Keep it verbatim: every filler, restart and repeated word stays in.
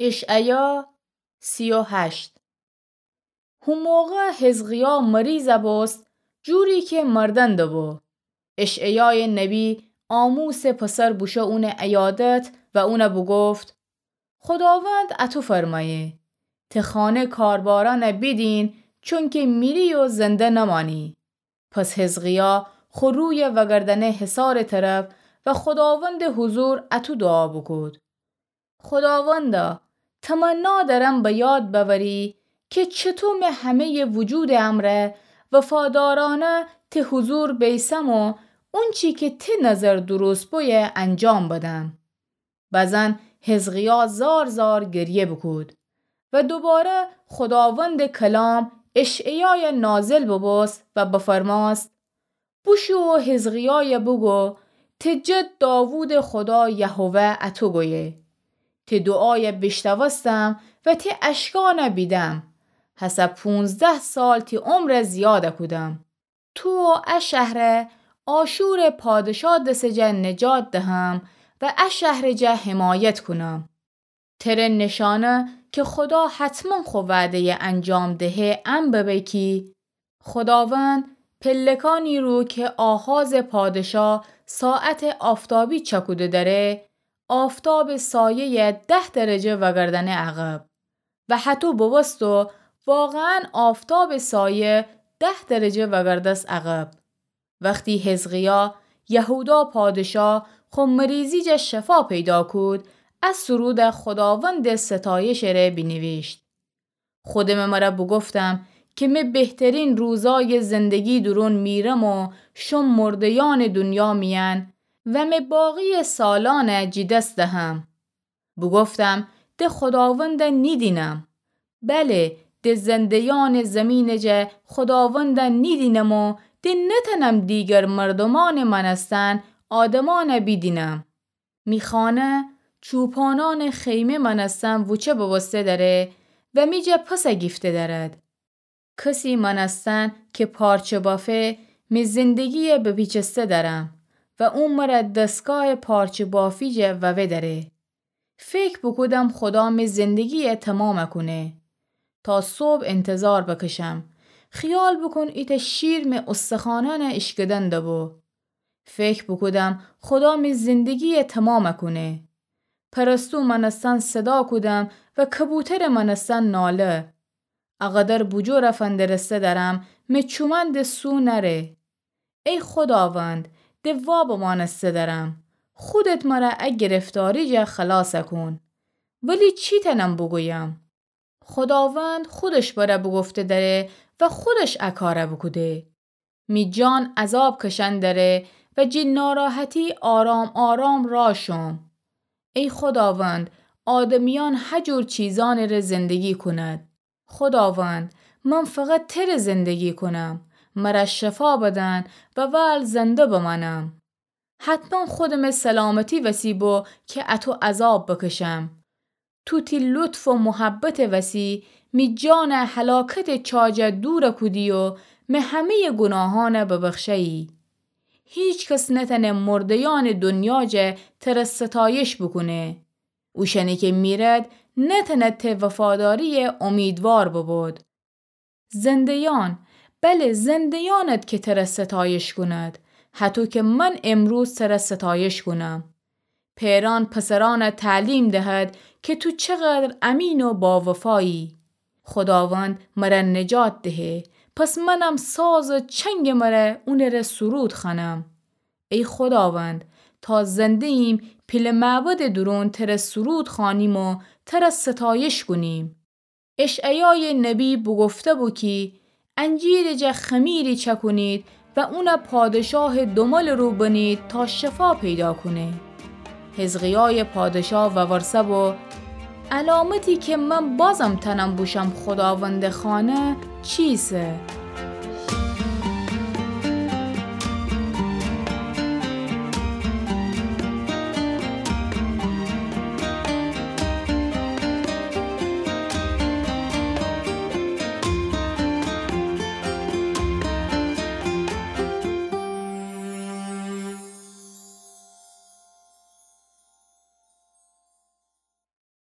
اشعیا سی و هشت. هو موقع حزقیا مریض بوست، جوری کی مردن دبو. اشعیای نبی آموسٚ پسر بوشو اونٚ عیادت و اون بوگفت: خوداوند اطو فرمأیه: ته خانه کاربأرأن بیدین، چونکی میری و زنده نمأنی. پس حزقیا خو روی وگردأنه حصارٚ طرف و خوداوندٚ حضور اطو دوعا بوکود: خوداوندا، تمنا درم به یاد بأوری کی چطو می همه‌یٚ وجودٚ امرأ وفادارأنه ته حضور بیسم و اونچی کی ته نظر درست بویه انجام بدم. بزن حزقیا زار زار گریه بوکود و دوباره خوداوندٚ کلام اشعیای نازل ببوست و بفرمأست: بوشو و حزقیای بوگو: ته جد داوودٚ خودا یهوه اطو گویه: ته دوعای بیشنوستم و ته اشکأن بیدم. هسه پونزده سال تی عمر زیاد کودم. تو و ا شهر آشورٚ پادشا دس جا نجات دهم و ا شهر جا حمایت کونم. تره نشانه کی خودا حتما خو وعده‌ی انجام دهه ان ببه کی خوداوند پلکانی رو کی آحازٚ پادشا ساعتٚ آفتابی چکوده دأره، آفتابٚ سایه‌ی ده درجه وگردأنه عقب. و هطو بوبوست و واقعا آفتابٚ سایه ده درجه وگردست عقب. وختی حزقیا یهودا پادشا خو مریضی جا شفا پیدا کود، ا سرود خوداوندٚ ستایشٚ ره بینیویشت: خودمٚ مره بوگفتم کی می بهترین روزای زندگی دورون میرم و شوم مرده‌یأنٚ دونیا میأن و می باقی‌یٚ سالأن جی دس دهم. بوگفتم: د خوداوند نیدینم. بله، د زنده‌یأنٚ زیمینٚ جا خوداوند نیدینم و د نتأنم دیگر مردومأنٚ مأنستن آدمأن بیدینم. می خانه چوپانأنٚ خیمه مأنستن وچه بوسته دأره و می جا پس گیفته دأرد. کسی مأنستن کی پارچه بافه، می زندگی بپیچسته دأرم و او مره دستگاه پارچه بافی جا ووه دأره. فکر بوکودم خودا می زندگی تمام کونه. تا صبح انتظار بکشم. خیال بوکون ایتأ شیر می استخوانأن ایشکدن دبو. فکر بوکودم خودا می زندگی تمام کونه. پرستو مأنستن صدا کودم و کبوترٚ مأنستن ناله. اقدر بوجور فندرسته دأرم می چومأن د سو نأره. ای خوداوند، د وابٚ مأنسته دأرم. خودت مره ا گرفتاری جا خلاص کون. ولی چی تأنم بوگویم؟ خوداوند خودش بره بوگفته دأره و خودش ا کار بوکوده. می جان عذاب کشن دأره و جی ناراحتی آرام آرام راه شوم. ای خوداوند، آدمیأن هجور چیزأنٚ ره زندگی کونید. خوداوند، من فقط تره زندگی کونم. مره شفا بدن و ول زنده بمأنم. حتما خودمٚ سلامتی وسی بو کی اطو عذاب بکشم. تو تی لطف و محبتٚ وسی می جان هلاکتٚ چا جا دور کودی و می همه‌یٚ گوناهأن ببخشه‌یی. هیچ کس نتأنه مرده‌یأنٚ دونیا جا تره ستایش بوکونه. اوشأنی کی میرد نتأنه ته وفاداری امیدوار ببود. زنده‌یأن، بله زنده‌یأنید کی تره ستایش کونید، هطو کی من امروز تره ستایش کونم. پئرأن پسرأن تعلیم دهد کی تو چقدر امین و باوفایی. خوداوند مره نجات دهه، پس منم ساز و چنگٚ مره اونٚ ره سرود خوأنم. ای خوداوند، تا زنده‌ییم پیله معبدٚ دورون تره سرود خوأنیم و تره ستایش کونیم. اشعیایٚ نبی بوگفته بو کی انجیرٚ جا خمیری چأکونید و اون پادشاهٚ دوملٚ رو بنید تا شفا پیدا کونه. حزقیایٚ پادشا وورسه بو: علامتی کی من بازم تأنم بوشم خوداوندٚ خانه چیسه؟